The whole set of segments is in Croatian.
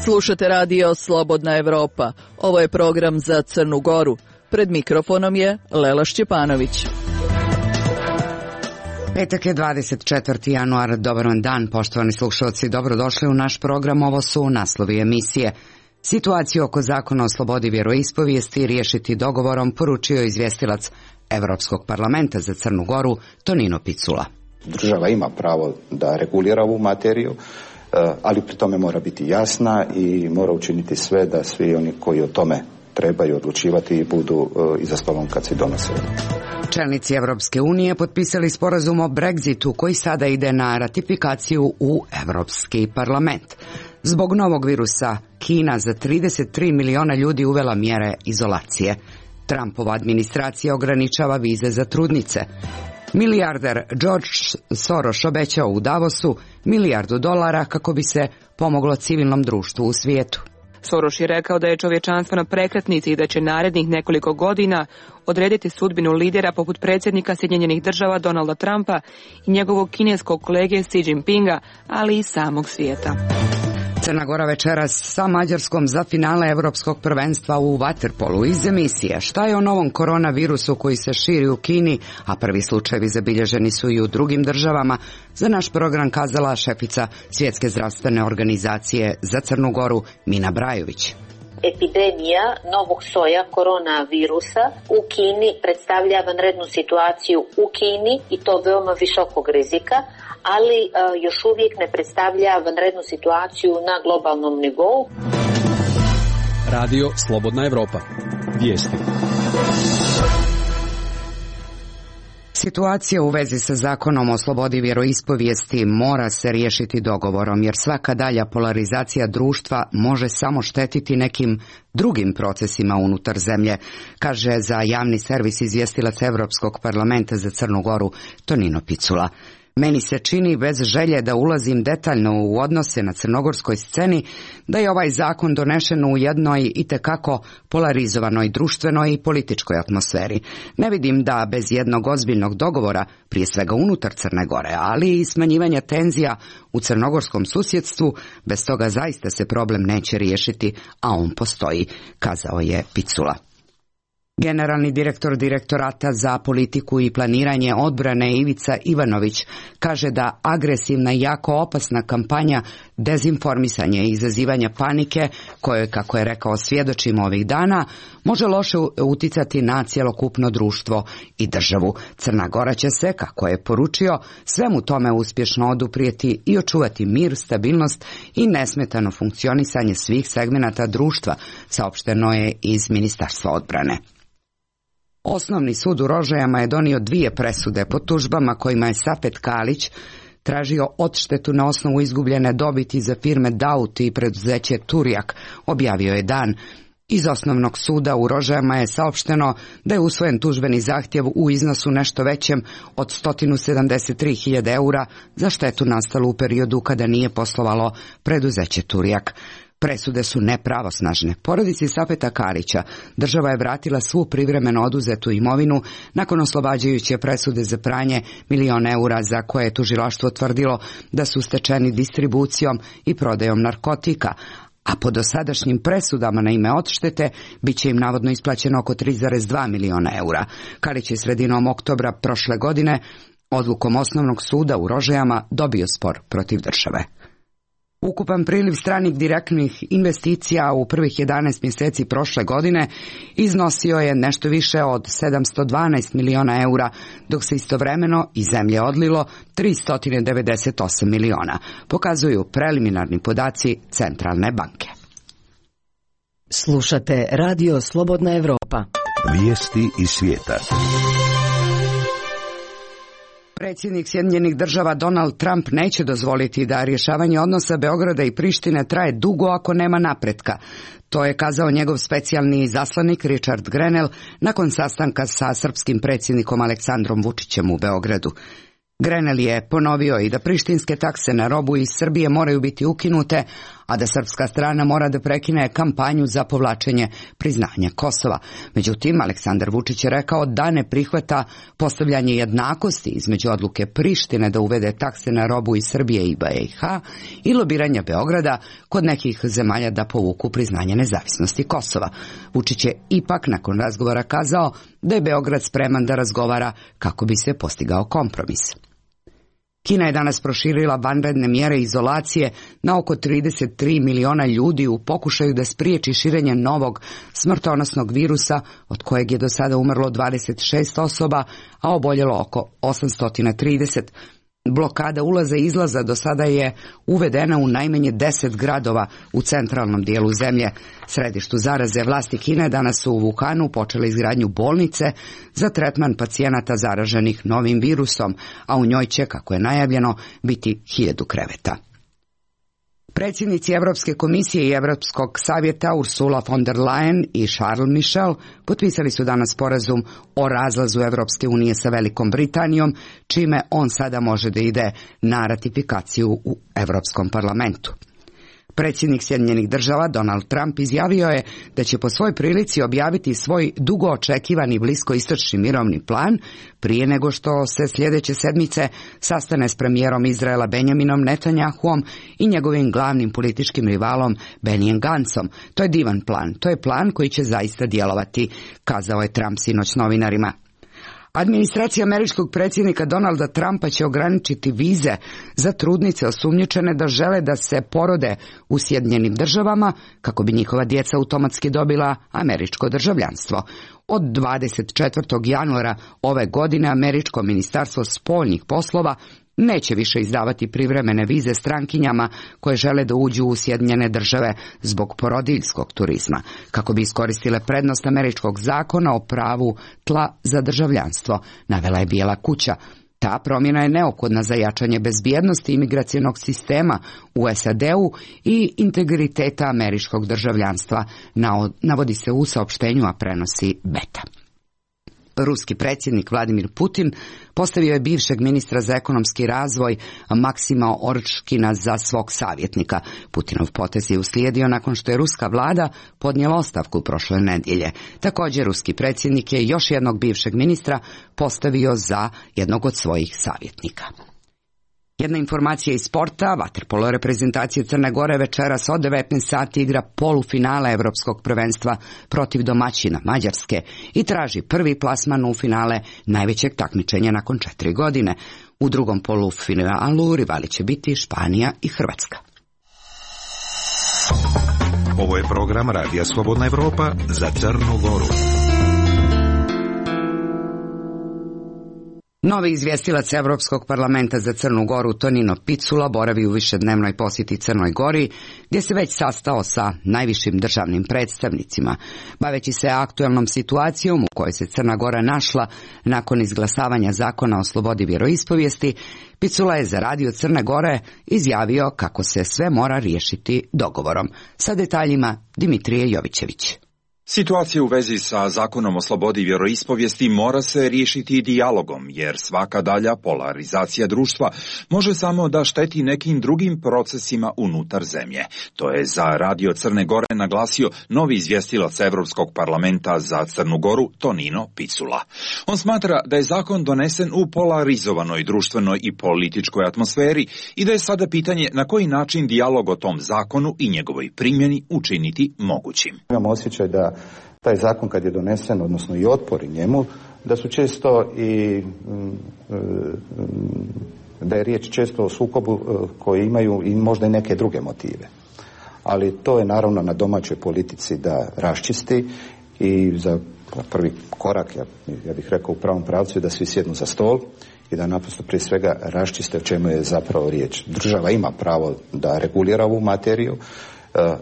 Slušate radio Slobodna Evropa. Ovo je program za Crnu Goru. Pred mikrofonom je Lela Šćepanović. Petak je 24. januar. Dobar vam dan, poštovani slušalci. Dobrodošli u naš program. Ovo su naslovi emisije. Situaciju oko zakona o slobodi vjeroispovijesti riješiti dogovorom, poručio izvjestilac Evropskog parlamenta za Crnu Goru Tonino Picula. Država ima pravo da regulira ovu materiju, ali pri tome mora biti jasna i mora učiniti sve da svi oni koji o tome trebaju odlučivati budu iza stolom kad se donose. Čelnici Evropske unije potpisali sporazum o Brexitu koji sada ide na ratifikaciju u Evropski parlament. Zbog novog virusa, Kina za 33 miliona ljudi uvela mjere izolacije. Trumpova administracija ograničava vize za trudnice. Milijarder George Soros obećao u Davosu $1 milijardu kako bi se pomoglo civilnom društvu u svijetu. Soros je rekao da je čovječanstvo na prekretnici i da će narednih nekoliko godina odrediti sudbinu lidera poput predsjednika Sjedinjenih Država Donalda Trumpa i njegovog kineskog kolege Xi Jinpinga, ali i samog svijeta. Crna Gora večeras sa Mađarskom za finale Evropskog prvenstva u vaterpolu. Iz emisije šta je o novom koronavirusu koji se širi u Kini, a prvi slučajevi zabilježeni su i u drugim državama, za naš program kazala šefica Svjetske zdravstvene organizacije za Crnu Goru Mina Brajović. Epidemija novog soja koronavirusa u Kini predstavlja vanrednu situaciju u Kini i to veoma visokog rizika, ali još uvijek ne predstavlja vanrednu situaciju na globalnom nivou. Radio Slobodna Evropa. Vijesti. Situacija u vezi sa zakonom o slobodi vjeroispovijesti mora se riješiti dogovorom, jer svaka dalja polarizacija društva može samo štetiti nekim drugim procesima unutar zemlje, kaže za javni servis izvjestilac Evropskog parlamenta za Crnu Goru Tonino Picula. Meni se čini, bez želje da ulazim detaljno u odnose na crnogorskoj sceni, da je ovaj zakon donešen u jednoj itekako polarizovanoj društvenoj i političkoj atmosferi. Ne vidim da bez jednog ozbiljnog dogovora, prije svega unutar Crne Gore, ali i smanjivanja tenzija u crnogorskom susjedstvu, bez toga zaista se problem neće riješiti, a on postoji, kazao je Picula. Generalni direktor Direktorata za politiku i planiranje odbrane Ivica Ivanović kaže da agresivna i jako opasna kampanja dezinformisanja i izazivanja panike, koje, kako je rekao, svjedočimo ovih dana, može loše uticati na cjelokupno društvo i državu. Crna Gora će se, kako je poručio, svemu tome uspješno oduprijeti i očuvati mir, stabilnost i nesmetano funkcionisanje svih segmenata društva, saopšteno je iz Ministarstva odbrane. Osnovni sud u Rožajama je donio 2 presude po tužbama kojima je Sapet Kalić tražio odštetu na osnovu izgubljene dobiti za firme Dauti i preduzeće Turjak, objavio je Dan. Iz Osnovnog suda u Rožajama je saopšteno da je usvojen tužbeni zahtjev u iznosu nešto većem od 173.000 eura za štetu nastalu u periodu kada nije poslovalo preduzeće Turjak. Presude su nepravosnažne. Porodici Sapeta Kalića država je vratila svu privremeno oduzetu imovinu nakon oslobađajuće presude za pranje $1 milion za koje je tužilaštvo tvrdilo da su stečeni distribucijom i prodajom narkotika, a po dosadašnjim presudama na ime odštete bit će im navodno isplaćeno oko 3,2 miliona eura. Kalić je sredinom oktobra prošle godine odlukom Osnovnog suda u Rožajama dobio spor protiv države. Ukupan priliv stranih direktnih investicija u prvih 11 mjeseci prošle godine iznosio je nešto više od 712 miliona eura, dok se istovremeno iz zemlje odlilo 398 miliona, pokazuju preliminarni podaci Centralne banke. Slušate Radio Slobodna Evropa. Vijesti iz svijeta. Predsjednik Sjedinjenih Država Donald Trump neće dozvoliti da rješavanje odnosa Beograda i Prištine traje dugo ako nema napretka. To je kazao njegov specijalni izaslanik Richard Grenell nakon sastanka sa srpskim predsjednikom Aleksandrom Vučićem u Beogradu. Grenell je ponovio i da prištinske takse na robu iz Srbije moraju biti ukinute, a da srpska strana mora da prekine kampanju za povlačenje priznanja Kosova. Međutim, Aleksandar Vučić je rekao da ne prihvata postavljanje jednakosti između odluke Prištine da uvede takse na robu iz Srbije i BiH i lobiranja Beograda kod nekih zemalja da povuku priznanje nezavisnosti Kosova. Vučić je ipak nakon razgovora kazao da je Beograd spreman da razgovara kako bi se postigao kompromis. Kina je danas proširila vanredne mjere izolacije na oko 33 miliona ljudi u pokušaju da spriječi širenje novog smrtonosnog virusa od kojeg je do sada umrlo 26 osoba, a oboljelo oko 830. Blokada ulaza i izlaza do sada je uvedena u najmanje 10 gradova u centralnom dijelu zemlje. Središtu zaraze vlasti Kine danas su u Wuhanu počele izgradnju bolnice za tretman pacijenata zaraženih novim virusom, a u njoj će, kako je najavljeno, biti 1000 kreveta. Predsjednici Europske komisije i Europskog savjeta Ursula von der Leyen i Charles Michel potpisali su danas sporazum o razlazu Europske unije sa Velikom Britanijom, čime on sada može da ide na ratifikaciju u Europskom parlamentu. Predsjednik Sjedinjenih država Donald Trump izjavio je da će po svoj prilici objaviti svoj dugo očekivani bliskoistočni mirovni plan prije nego što se sljedeće sedmice sastane s premijerom Izraela Benjaminom Netanjahuom i njegovim glavnim političkim rivalom Benijem Gancom. To je divan plan, to je plan koji će zaista djelovati, kazao je Trump sinoć novinarima. Administracija američkog predsjednika Donalda Trumpa će ograničiti vize za trudnice osumnjičene da žele da se porode u Sjedinjenim državama kako bi njihova djeca automatski dobila američko državljanstvo. Od 24. januara ove godine američko ministarstvo spoljnih poslova neće više izdavati privremene vize strankinjama koje žele da uđu u Sjedinjene države zbog porodiljskog turizma, kako bi iskoristile prednost američkog zakona o pravu tla za državljanstvo, navela je Bijela kuća. Ta promjena je neophodna za jačanje bezbjednosti imigracionog sistema u SAD-u i integriteta američkog državljanstva, navodi se u saopštenju, a prenosi Beta. Ruski predsjednik Vladimir Putin postavio je bivšeg ministra za ekonomski razvoj Maksima Orčkina za svog savjetnika. Putinov potez je uslijedio nakon što je ruska vlada podnijela ostavku prošle nedjelje. Također, ruski predsjednik je još jednog bivšeg ministra postavio za jednog od svojih savjetnika. Jedna informacija iz sporta, vaterpolo reprezentacije Crne Gore večeras od 19 sati igra polufinale Evropskog prvenstva protiv domaćina Mađarske i traži prvi plasman u finale najvećeg takmičenja nakon 4 godine. U drugom polufinalu rivali će biti Španija i Hrvatska. Ovo je program Radija Slobodna Evropa za Crnu Goru. Novi izvjestilac Evropskog parlamenta za Crnu Goru Tonino Picula boravi u višednevnoj posjeti Crnoj Gori, gdje se već sastao sa najvišim državnim predstavnicima. Baveći se aktualnom situacijom u kojoj se Crna Gora našla nakon izglasavanja zakona o slobodi vjeroispovijesti, Picula je za Radio Crne Gore izjavio kako se sve mora riješiti dogovorom. Sa detaljima Dimitrije Jovićević. Situacija u vezi sa zakonom o slobodi vjeroispovijesti mora se riješiti dijalogom, jer svaka dalja polarizacija društva može samo da šteti nekim drugim procesima unutar zemlje. To je za Radio Crne Gore naglasio novi izvjestilac Evropskog parlamenta za Crnu Goru Tonino Picula. On smatra da je zakon donesen u polarizovanoj društvenoj i političkoj atmosferi i da je sada pitanje na koji način dijalog o tom zakonu i njegovoj primjeni učiniti mogućim. Imamo osjećaj da taj zakon kad je donesen, odnosno i otpori njemu, da su često i da je riječ često o sukobu koji imaju i možda i neke druge motive. Ali to je naravno na domaćoj politici da raščisti i za prvi korak, ja bih rekao u pravom pravcu, da svi sjednu za stol i da naprosto prije svega raščiste o čemu je zapravo riječ. Država ima pravo da regulira ovu materiju,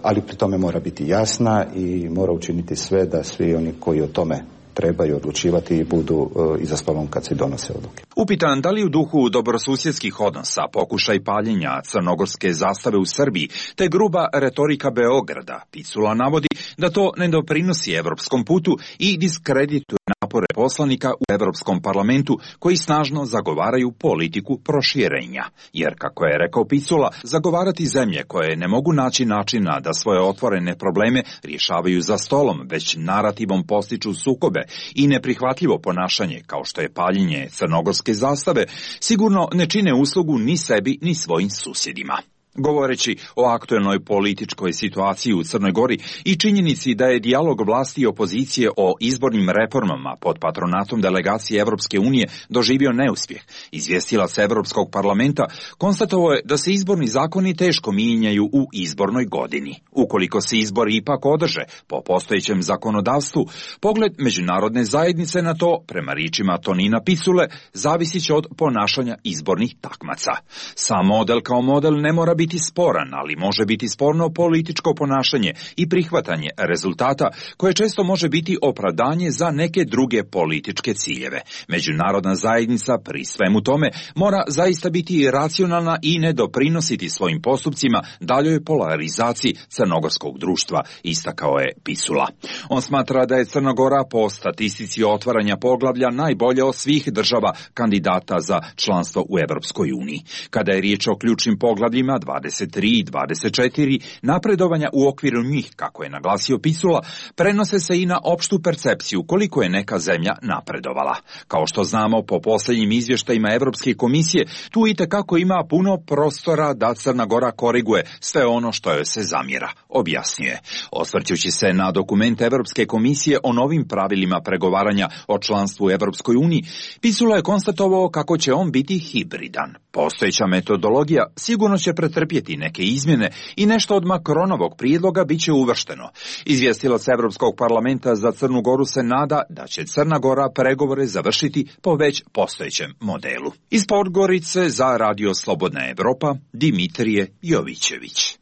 ali pri tome mora biti jasna i mora učiniti sve da svi oni koji o tome trebaju odlučivati i budu iza stolom kad se donose odluke. Upitan da li u duhu dobrosusjedskih odnosa pokušaj paljenja crnogorske zastave u Srbiji te gruba retorika Beograda, Picula navodi da to ne doprinosi evropskom putu i diskredituje napor napore poslanika u Europskom parlamentu koji snažno zagovaraju politiku proširenja. Jer, kako je rekao Picula, zagovarati zemlje koje ne mogu naći načina da svoje otvorene probleme rješavaju za stolom, već narativom postiču sukobe i neprihvatljivo ponašanje, kao što je paljenje crnogorske zastave, sigurno ne čine uslugu ni sebi ni svojim susjedima. Govoreći o aktuelnoj političkoj situaciji u Crnoj Gori i činjenici da je dijalog vlasti i opozicije o izbornim reformama pod patronatom delegacije Evropske unije doživio neuspjeh, izvjestilac Evropskog parlamenta konstatovao je da se izborni zakoni teško mijenjaju u izbornoj godini. Ukoliko se izbori ipak održe po postojećem zakonodavstvu, pogled međunarodne zajednice na to, prema riječima Tonina Picule, zavisit će od ponašanja izbornih takmaca. Sam model kao model ne mora biti sporan, ali može biti sporno političko ponašanje i prihvatanje rezultata koje često može biti opravdanje za neke druge političke ciljeve. Međunarodna zajednica pri svemu tome mora zaista biti racionalna i ne doprinositi svojim postupcima daljoj polarizaciji crnogorskog društva, istakao je Picula. On smatra da je Crna Gora po statistici otvaranja poglavlja najbolja od svih država kandidata za članstvo u Europskoj uniji. Kada je riječ o ključnim poglavljima 23 i 24, napredovanja u okviru njih, kako je naglasio Picula, prenose se i na opštu percepciju koliko je neka zemlja napredovala. Kao što znamo po posljednjim izvještajima Europske komisije, tu itekako ima puno prostora da Crna Gora koriguje sve ono što joj se zamjera, objasnjuje. Osvrćući se na dokument Europske komisije o novim pravilima pregovaranja o članstvu u Europskoj uniji, Picula je konstatovao kako će on biti hibridan. Postojeća metodologija sigurno će pretrpjeti neke izmjene i nešto od Macronovog prijedloga bit će uvršteno. Izvjestilac Europskog parlamenta za Crnu Goru se nada da će Crna Gora pregovore završiti po već postojećem modelu. Iz Podgorice za Radio Slobodna Evropa, Dimitrije Jovićević.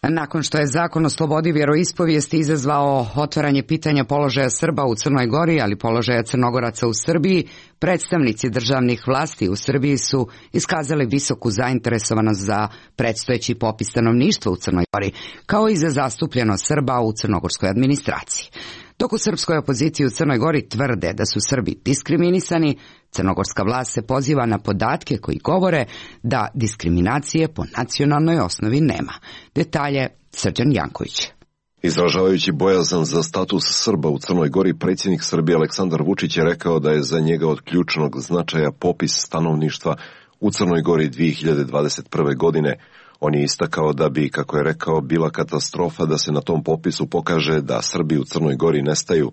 Nakon što je zakon o slobodi vjeroispovijesti izazvao otvaranje pitanja položaja Srba u Crnoj Gori, ali položaja Crnogoraca u Srbiji, predstavnici državnih vlasti u Srbiji su iskazali visoku zainteresovanost za predstojeći popis stanovništva u Crnoj Gori, kao i za zastupljenost Srba u crnogorskoj administraciji. Dok u srpskoj opoziciji u Crnoj Gori tvrde da su Srbi diskriminisani, crnogorska vlast se poziva na podatke koji govore da diskriminacije po nacionalnoj osnovi nema. Detalje Srđan Janković. Izražavajući bojazan za status Srba u Crnoj Gori, predsjednik Srbije Aleksandar Vučić je rekao da je za njega od ključnog značaja popis stanovništva u Crnoj Gori 2021. godine. On je istakao da bi, kako je rekao, bila katastrofa da se na tom popisu pokaže da Srbi u Crnoj Gori nestaju.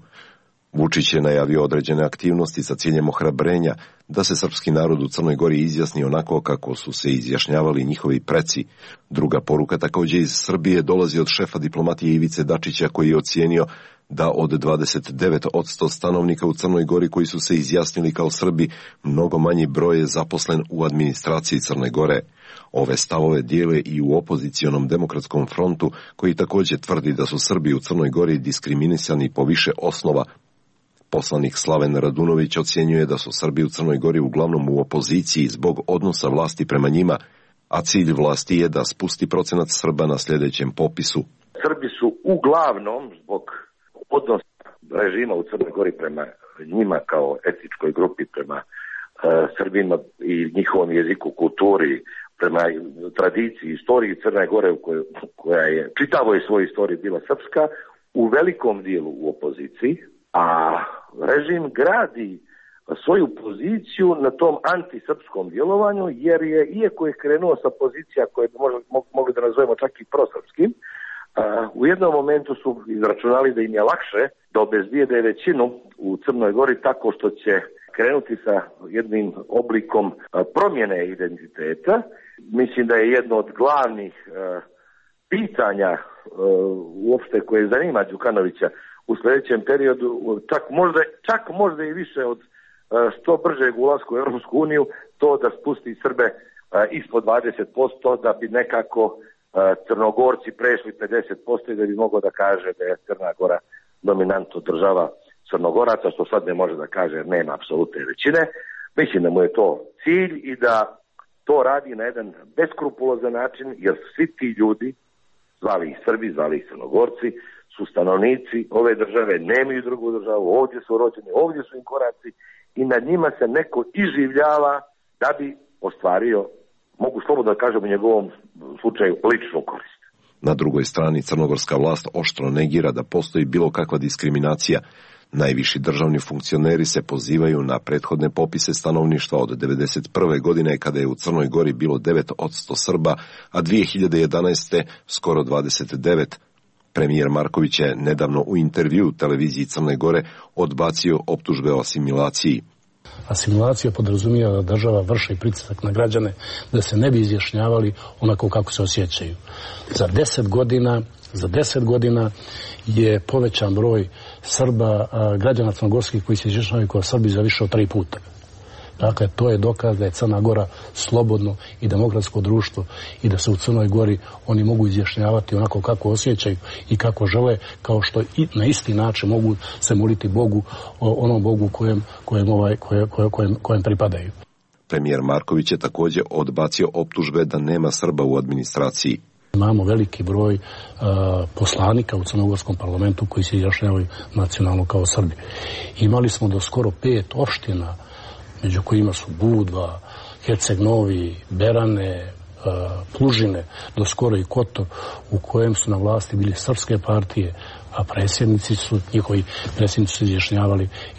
Vučić je najavio određene aktivnosti sa ciljem ohrabrenja da se srpski narod u Crnoj Gori izjasni onako kako su se izjašnjavali njihovi preci. Druga poruka također iz Srbije dolazi od šefa diplomatije Ivice Dačića, koji je ocijenio da od 29% stanovnika u Crnoj Gori koji su se izjasnili kao Srbi, mnogo manji broj je zaposlen u administraciji Crne Gore. Ove stavove dijele i u opozicionom demokratskom frontu, koji također tvrdi da su Srbi u Crnoj Gori diskriminisani po više osnova. Poslanik Slaven Radunović ocjenjuje da su Srbi u Crnoj Gori uglavnom u opoziciji zbog odnosa vlasti prema njima, a cilj vlasti je da spusti procenat Srba na sljedećem popisu. Srbi su uglavnom zbog odnosa režima u Crnoj Gori prema njima kao etničkoj grupi, prema Srbima i njihovom jeziku, kulturi, prema tradiciji, istoriji Crne Gore koja je čitavoj svojoj istoriji bila srpska, u velikom dijelu u opoziciji, a režim gradi svoju poziciju na tom antisrpskom djelovanju, jer je, iako je krenuo sa pozicija koje bi mogli da nazovemo čak i prosrpskim, u jednom momentu su izračunali da im je lakše da obezbijede većinu u Crnoj Gori tako što će krenuti sa jednim oblikom promjene identiteta. Mislim da je jedno od glavnih pitanja uopšte koje zanima Đukanovića u sljedećem periodu, čak možda i više od što bržeg ulaska u Europsku uniju, to da spusti Srbe ispod 20%, da bi nekako Crnogorci prešli 50% i da bi mogao da kaže da je Crna Gora dominantno država Crnogoraca, što sad ne može da kaže jer nema apsolutne većine. Mislim da mu je to cilj i da to radi na jedan beskrupulozan način, jer svi ti ljudi, zvali ih Srbi, zvali ih Crnogorci, su stanovnici ove države, nemaju drugu državu, ovdje su rođeni, ovdje su im koraci i nad njima se neko iživljava da bi ostvario, mogu slobodno da kažem u njegovom slučaju, ličnu korist. Na drugoj strani crnogorska vlast oštro negira da postoji bilo kakva diskriminacija. Najviši državni funkcioneri se pozivaju na prethodne popise stanovništva od 1991. godine kada je u Crnoj Gori bilo 9% Srba, a 2011. skoro 29%. Premijer Marković je nedavno u intervju televiziji Crne Gore odbacio optužbe o asimilaciji. Asimilacija podrazumijeva da država vrši pritisak na građane da se ne bi izjašnjavali onako kako se osjećaju. Za 10 godina je povećan broj Srba, građana crnogorskih koji se izjašnjavaju kao Srbi za više od 3 puta. Dakle, to je dokaz da je Crna Gora slobodno i demokratsko društvo i da se u Crnoj Gori oni mogu izjašnjavati onako kako osjećaju i kako žele, kao što i na isti način mogu se moliti Bogu, onom Bogu kojem pripadaju. Premijer Marković je također odbacio optužbe da nema Srba u administraciji. Imamo veliki broj poslanika u crnogorskom parlamentu koji se izjašnjavaju nacionalno kao Srbi. Imali smo do skoro 5 opština, među kojima su Budva, Herceg Novi, Berane, Plužine, do skoro i Kotor, u kojem su na vlasti bili srpske partije, a njihovi predsjednici su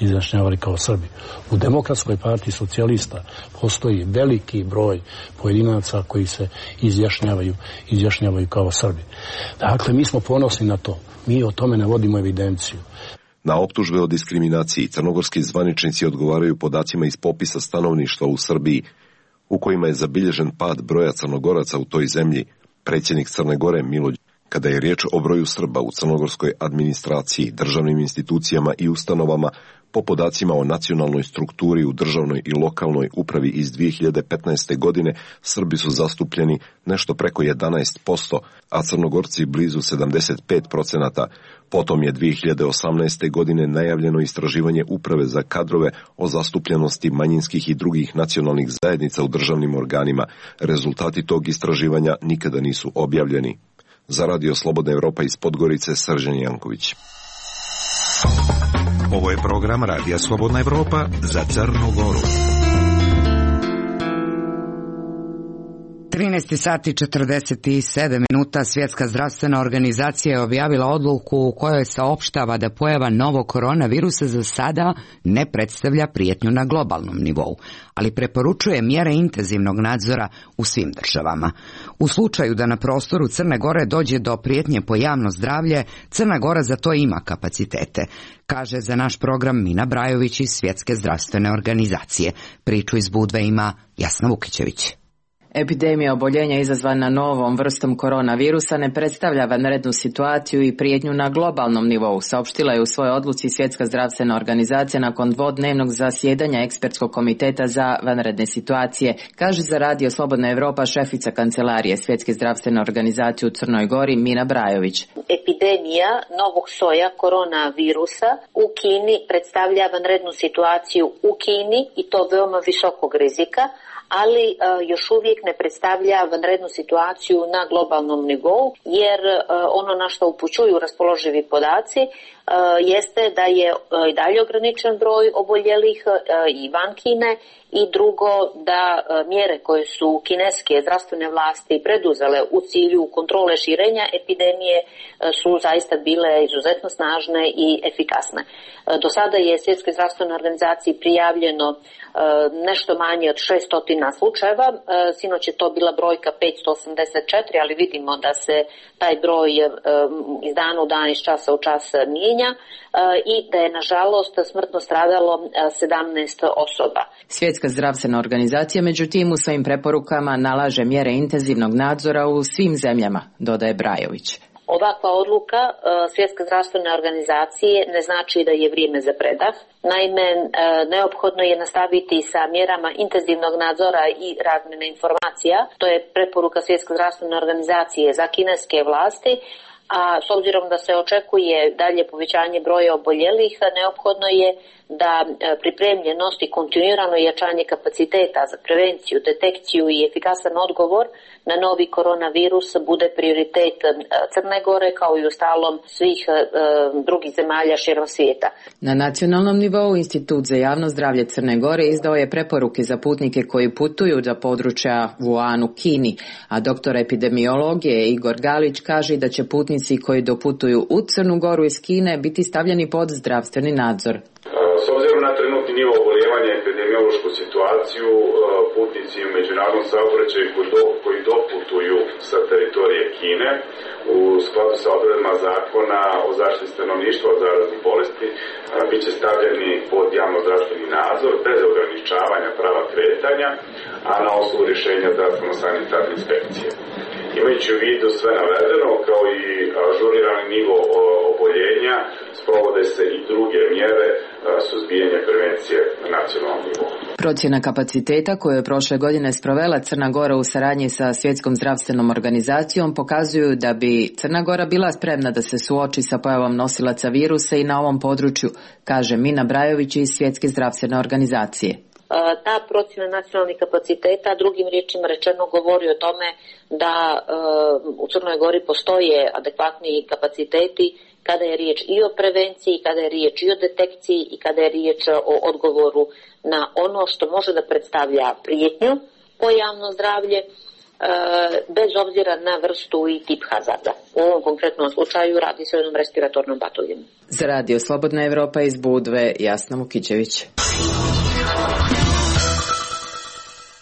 izjašnjavali kao Srbi. U Demokratskoj partiji socijalista postoji veliki broj pojedinaca koji se izjašnjavaju kao Srbi. Dakle, mi smo ponosni na to. Mi o tome ne vodimo evidenciju. Na optužbe o diskriminaciji crnogorski zvaničnici odgovaraju podacima iz popisa stanovništva u Srbiji, u kojima je zabilježen pad broja Crnogoraca u toj zemlji. Predsjednik Crne Gore Milo Đukanović, kada je riječ o broju Srba u crnogorskoj administraciji, državnim institucijama i ustanovama, po podacima o nacionalnoj strukturi u državnoj i lokalnoj upravi iz 2015. godine, Srbi su zastupljeni nešto preko 11%, a Crnogorci blizu 75%. Potom je 2018. godine najavljeno istraživanje uprave za kadrove o zastupljenosti manjinskih i drugih nacionalnih zajednica u državnim organima. Rezultati tog istraživanja nikada nisu objavljeni. Za Radio Slobodna Evropa iz Podgorice, Srđan Janković. Ovo je program Radija Slobodna Evropa za Crnu Goru. 13 sati 47 minuta. Svjetska zdravstvena organizacija je objavila odluku u kojoj saopštava da pojava novog koronavirusa za sada ne predstavlja prijetnju na globalnom nivou, ali preporučuje mjere intenzivnog nadzora u svim državama. U slučaju da na prostoru Crne Gore dođe do prijetnje po javno zdravlje, Crna Gora za to ima kapacitete, kaže za naš program Mina Brajović iz Svjetske zdravstvene organizacije. Priču iz Budve ima Jasna Vukićević. Epidemija oboljenja izazvana novom vrstom koronavirusa ne predstavlja vanrednu situaciju i prijetnju na globalnom nivou, saopštila je u svojoj odluci Svjetska zdravstvena organizacija nakon dvodnevnog zasjedanja ekspertskog komiteta za vanredne situacije, kaže za Radio Slobodna Evropa šefica kancelarije Svjetske zdravstvene organizacije u Crnoj Gori Mina Brajović. Epidemija novog soja koronavirusa u Kini predstavlja vanrednu situaciju u Kini i to veoma visokog rizika, ali još uvijek ne predstavlja vanrednu situaciju na globalnom nivou, jer ono na što upućuju raspoloživi podaci jeste da je i dalje ograničen broj oboljelih i van Kine, i drugo da mjere koje su kineske zdravstvene vlasti preduzele u cilju kontrole širenja epidemije su zaista bile izuzetno snažne i efikasne. Do sada je Svjetskoj zdravstvenoj organizaciji prijavljeno nešto manje od 600 slučajeva, sinoć je to bila brojka 584, ali vidimo da se taj broj iz dana u dan, iz časa u čas mijenja i da je nažalost smrtno stradalo 17 osoba. Svjetska zdravstvena organizacija međutim u svojim preporukama nalaže mjere intenzivnog nadzora u svim zemljama, dodaje Brajović. Ovakva odluka Svjetske zdravstvene organizacije ne znači da je vrijeme za predah. Naime, neophodno je nastaviti sa mjerama intenzivnog nadzora i razmjene informacija. To je preporuka Svjetske zdravstvene organizacije za kineske vlasti, a s obzirom da se očekuje dalje povećanje broja oboljelih, neophodno je da pripremljenost i kontinuirano jačanje kapaciteta za prevenciju, detekciju i efikasan odgovor na novi koronavirus bude prioritet Crne Gore kao i ustalom svih drugih zemalja širom svijeta. Na nacionalnom nivou Institut za javno zdravlje Crne Gore izdao je preporuke za putnike koji putuju za područja Wuhan u Kini, a doktor epidemiologije Igor Galić kaže da će putnici koji doputuju u Crnu Goru iz Kine biti stavljeni pod zdravstveni nadzor. S obzirom na trenutni nivo oboljevanja i epidemiološku situaciju, putnici u međunarodnom saobraćaju koji doputuju sa teritorije Kine u skladu sa odredbama zakona o zaštiti stanovništva od zaraznih bolesti bit će stavljeni pod javno-zdravstveni nadzor bez ograničavanja prava kretanja, a na osnovu rješenja zdravstveno-sanitarne inspekcije. Imajući u vidu sve navedeno, kao i ažurirani nivo oboljenja, sprovode se i druge mjere suzbijanja prevencije na nacionalnom nivou. Procjena kapaciteta koju je prošle godine sprovela Crna Gora u saradnji sa Svjetskom zdravstvenom organizacijom pokazuju da bi Crna Gora bila spremna da se suoči sa pojavom nosilaca virusa i na ovom području, kaže Mina Brajović iz Svjetske zdravstvene organizacije. Ta procjena nacionalnih kapaciteta, drugim riječima rečeno, govori o tome da u Crnoj Gori postoje adekvatni kapaciteti kada je riječ i o prevenciji, kada je riječ i o detekciji i kada je riječ o odgovoru na ono što može da predstavlja prijetnju po javno zdravlje, bez obzira na vrstu i tip hazarda. U ovom konkretnom slučaju radi se o jednom respiratornom patogenu. Za Radio Slobodna Evropa iz Budve, Jasna Mukićević.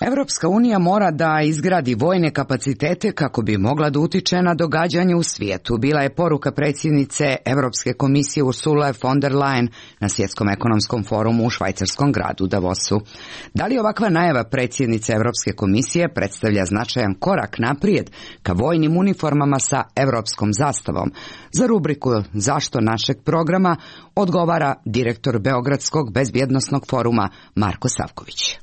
Evropska unija mora da izgradi vojne kapacitete kako bi mogla da utiče na događanje u svijetu. Bila je poruka predsjednice Europske komisije Ursule von der Leyen na Svjetskom ekonomskom forumu u švajcarskom gradu Davosu. Da li ovakva najava predsjednice Europske komisije predstavlja značajan korak naprijed ka vojnim uniformama sa europskom zastavom? Za rubriku Zašto našeg programa odgovara direktor Beogradskog bezbjednosnog foruma Marko Savković.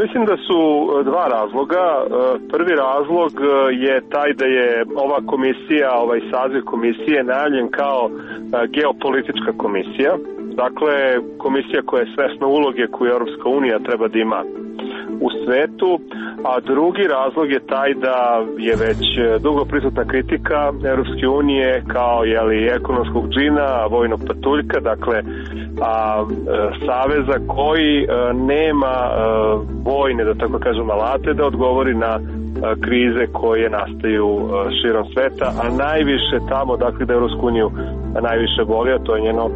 Mislim da su dva razloga. Prvi razlog je taj da je ova komisija, ovaj saziv komisije najavljen kao geopolitička komisija. Dakle, komisija koja je svesna uloge koju Europska unija treba da ima u svetu, a drugi razlog je taj da je već dugo prisutna kritika Europske unije kao ekonomskog džina, vojnog patuljka, dakle saveza koji nema vojne, da tako kažem, alate da odgovori na krize koje nastaju širom sveta, a najviše tamo, dakle, da Europsku uniju najviše boli, a to je njeno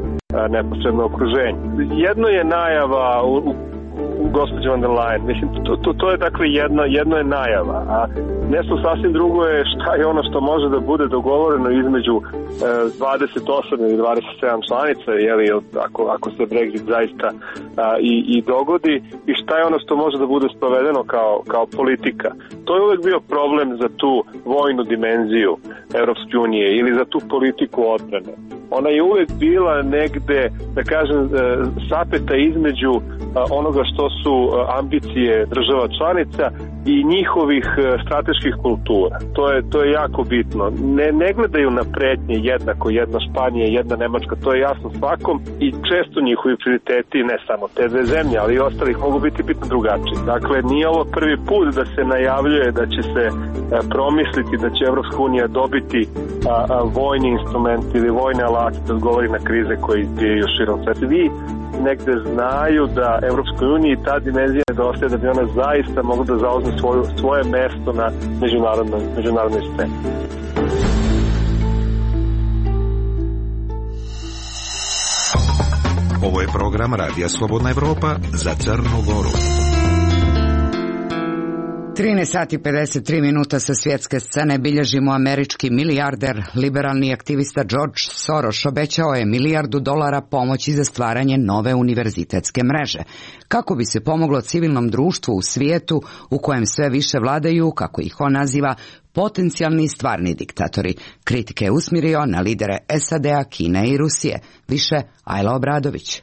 neposredno okruženje. Jedno je najava gospođe von der Leyen, mislim, to je dakle jedno je najava, a nešto sasvim drugo je šta je ono što može da bude dogovoreno između 28 ili 27 članica, ako se Brexit zaista i dogodi, i šta je ono što može da bude sprovedeno kao politika. To je uvek bio problem za tu vojnu dimenziju Europske unije ili za tu politiku odbrane. Ona je uvek bila negde, da kažem, sapeta između onoga što su ambicije država članica i njihovih strateških kultura. To je jako bitno. Ne gledaju na pretnje jednako, jedna Španija, jedna Nemačka, to je jasno svakom, i često njihovi prioriteti, ne samo te dve zemlje, ali i ostalih, mogu biti bitno drugačiji. Dakle, nije ovo prvi put da se najavljuje da će se promisliti da će Evropska unija dobiti vojni instrument ili vojne alate da odgovori na krize koje izbijaju širom sveta. Negde znaju da Evropskoj uniji ta dimenzija nedostaje da bi ona zaista mogla da zauzme svoje mesto na međunarodnoj sceni. Ovo je program Radija Slobodna Evropa za Crnu Goru. 13 sati 53 minuta sa svjetske scene bilježimo američki milijarder, liberalni aktivista George Soros obećao je $1 milijardu pomoći za stvaranje nove univerzitetske mreže, kako bi se pomoglo civilnom društvu u svijetu u kojem sve više vladaju, kako ih on naziva, potencijalni i stvarni diktatori. Kritike je usmjerio na lidere SAD-a, Kine i Rusije. Više Ajla Obradović.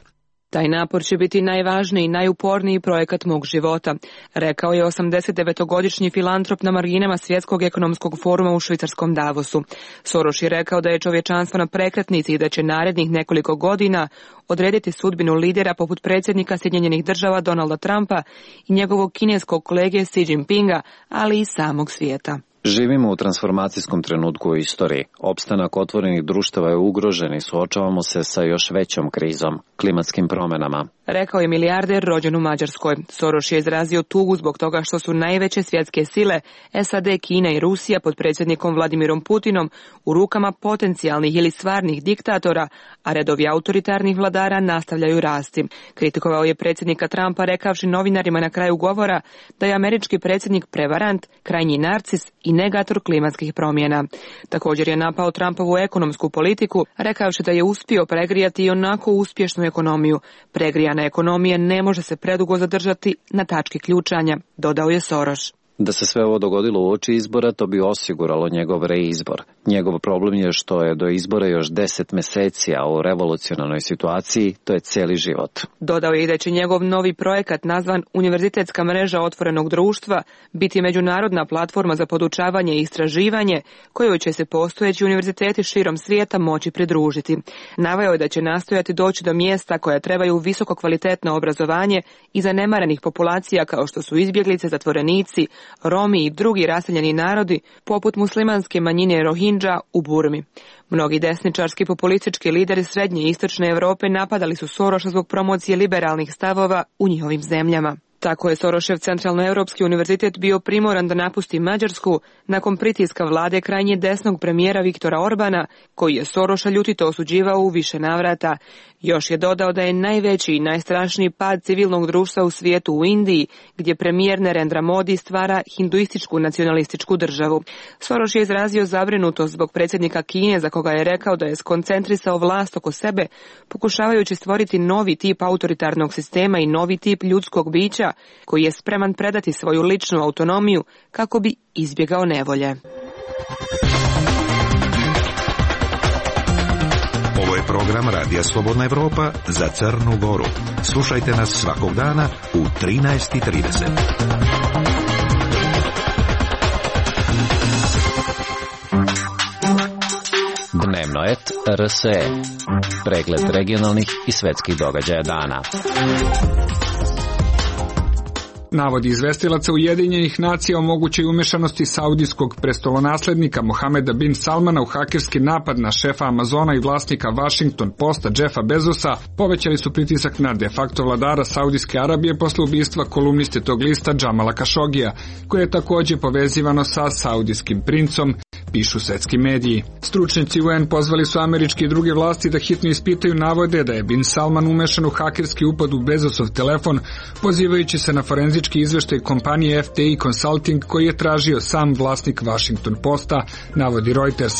Taj napor će biti najvažniji i najuporniji projekat mog života, rekao je 89-godišnji filantrop na marginama Svjetskog ekonomskog foruma u švicarskom Davosu. Soros je rekao da je čovječanstvo na prekretnici i da će narednih nekoliko godina odrediti sudbinu lidera poput predsjednika Sjedinjenih Država Donalda Trumpa i njegovog kineskog kolege Xi Jinpinga, ali i samog svijeta. Živimo u transformacijskom trenutku u istoriji. Opstanak otvorenih društava je ugrožen i suočavamo se sa još većom krizom, klimatskim promjenama. Rekao je milijarder rođen u Mađarskoj. Soros je izrazio tugu zbog toga što su najveće svjetske sile, SAD, Kina i Rusija pod predsjednikom Vladimirom Putinom u rukama potencijalnih ili stvarnih diktatora, a redovi autoritarnih vladara nastavljaju rasti. Kritikovao je predsjednika Trumpa rekavši novinarima na kraju govora da je američki predsjednik prevarant, krajnji narcis i negator klimatskih promjena. Također je napao Trumpovu ekonomsku politiku, rekavši da je uspio pregrijati i onako uspješnu ekonomiju. Pregrijana ekonomija ne može se predugo zadržati na tački ključanja, dodao je Soros. Da se sve ovo dogodilo uoči izbora, to bi osiguralo njegov reizbor. Njegov problem je što je do izbora još 10 mjeseci, a u revolucionarnoj situaciji to je cijeli život. Dodao je i da će njegov novi projekat nazvan Univerzitetska mreža otvorenog društva biti međunarodna platforma za podučavanje i istraživanje kojoj će se postojeći univerziteti širom svijeta moći pridružiti. Naveo je da će nastojati doći do mjesta koja trebaju visoko kvalitetno obrazovanje i zanemarenih populacija kao što su izbjeglice, zatvorenici, Romi i drugi raseljeni narodi, poput muslimanske manjine Rohingya u Burmi. Mnogi desničarski populistički lideri srednje i istočne Europe napadali su Soroša zbog promocije liberalnih stavova u njihovim zemljama. Tako je Sorošev Centralnoeuropski univerzitet bio primoran da napusti Mađarsku nakon pritiska vlade krajnje desnog premijera Viktora Orbana, koji je Soroša ljutito osuđivao u više navrata. Još je dodao da je najveći i najstrašniji pad civilnog društva u svijetu u Indiji, gdje premijer Narendra Modi stvara hinduističku nacionalističku državu. Soros je izrazio zabrinutost zbog predsjednika Kine, za koga je rekao da je skoncentrisao vlast oko sebe, pokušavajući stvoriti novi tip autoritarnog sistema i novi tip ljudskog bića, koji je spreman predati svoju ličnu autonomiju kako bi izbjegao nevolje. Ovo je program Radija Slobodna Evropa za Crnu Goru. Slušajte nas svakog dana u 13:30. Dnevnoet RSE. Pregled regionalnih i svjetskih događaja dana. Navodi izvestilaca Ujedinjenih nacija o mogućoj umešanosti saudijskog prestolonaslednika Mohameda bin Salmana u hakerski napad na šefa Amazona i vlasnika Washington Posta Jeffa Bezosa povećali su pritisak na de facto vladara Saudijske Arabije posle ubistva kolumniste tog lista Džamala Kašogija, koje je također povezivano sa saudijskim princom, pišu svetski mediji. Stručnjaci UN pozvali su američke i druge vlasti da hitno ispitaju navode da je bin Salman umešan u hakerski upad u Bezosov telefon, pozivajući se na forenzički izveštaj kompanije FTI Consulting koji je tražio sam vlasnik Washington Posta, navodi Reuters.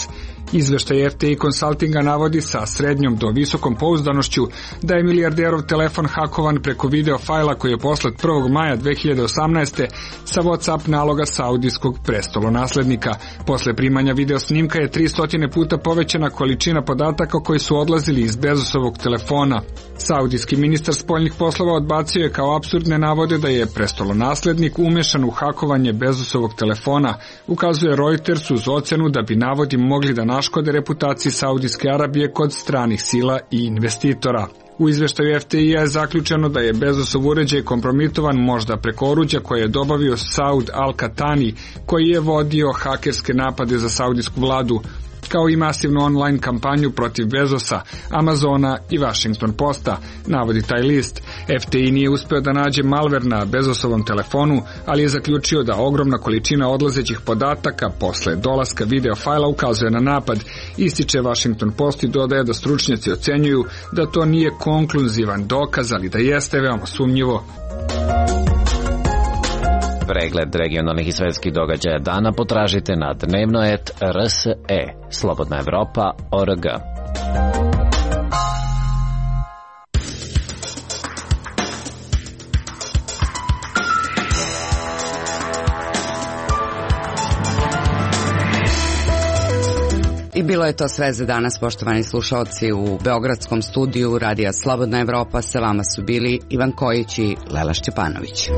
Izveštaj FTI Consultinga navodi sa srednjom do visokom pouzdanošću da je milijarderov telefon hakovan preko video fajla koji je poslat 1. maja 2018. sa WhatsApp naloga saudijskog prestolonaslednika. Posle primanja video snimka je 300 puta povećana količina podataka koji su odlazili iz Bezosovog telefona. Saudijski ministar spoljnih poslova odbacio je kao apsurdne navode da je prestolonaslednik umešan u hakovanje Bezosovog telefona, ukazuje Reuters uz ocenu da bi navodi mogli da naškode reputaciji Saudijske Arabije kod stranih sila i investitora. U izveštaju FTI-a je zaključeno da je Bezosov uređaj kompromitovan možda preko oruđa koje je dobavio Saud Al-Katani, koji je vodio hakerske napade za saudijsku vladu, kao i masivnu online kampanju protiv Bezosa, Amazona i Washington Posta, navodi taj list. FTI nije uspeo da nađe malver na Bezosovom telefonu, ali je zaključio da ogromna količina odlazećih podataka posle dolaska video fajla ukazuje na napad. Ističe Washington Post i dodaje da stručnjaci ocenjuju da to nije konkluzivan dokaz, ali da jeste veoma sumnjivo. Pregled regionalnih i svjetskih događaja dana potražite na dnevnoet RSE, Slobodna Evropa.org. I bilo je to sve za danas, poštovani slušalci. U beogradskom studiju Radija Slobodna Evropa sa vama su bili Ivan Kojić i Lela Šćepanović.